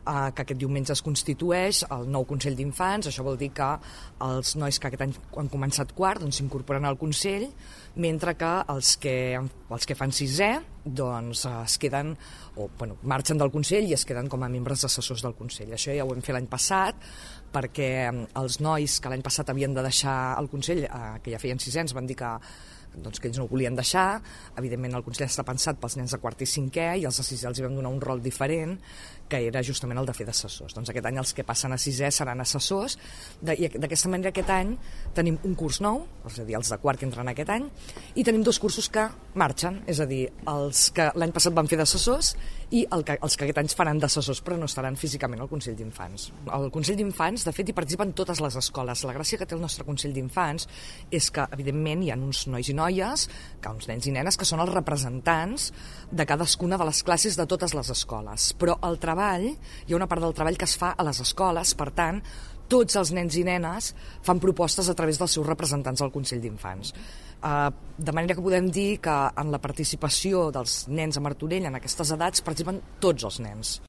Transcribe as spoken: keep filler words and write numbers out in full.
eh, que aquest diumenge es constitueix el nou Consell d'Infants. Això vol dir que els nois que aquest any han començat quart doncs s'incorporen al Consell, mentre que els que, els que fan sisè doncs es queden, o bueno, marxen del Consell i es queden com a membres assessors del Consell. Això ja ho vam fer l'any passat, perquè els nois que l'any passat havien de deixar el Consell, eh, que ja feien sisè, ens van dir que doncs que ells no ho volien deixar. Evidentment el Consell està pensat pels nens de quart i cinquè i els de sisè els hi vam donar un rol diferent, que era justament el de fer d'assessors. Doncs aquest any els que passen a sisè seran assessors, de, i d'aquesta manera aquest any tenim un curs nou, és a dir, els de quart que entren aquest any, i tenim dos cursos que marxen, és a dir, els que l'any passat van fer d'assessors i el que, els que aquest any faran d'assessors, però no estaran físicament al Consell d'Infants. Al Consell d'Infants, de fet, hi participen totes les escoles. La gràcia que té el nostre Consell d'Infants és que, evidentment, hi ha uns nois i noies, que uns nens i nenes, que són els representants de cadascuna de les classes de totes les escoles. Però el treball, hi ha una part del treball que es fa a les escoles, per tant, tots els nens i nenes fan propostes a través dels seus representants al Consell d'Infants. Uh, de manera que podem dir que en la participació dels nens a Martorell en aquestes edats participen tots els nens.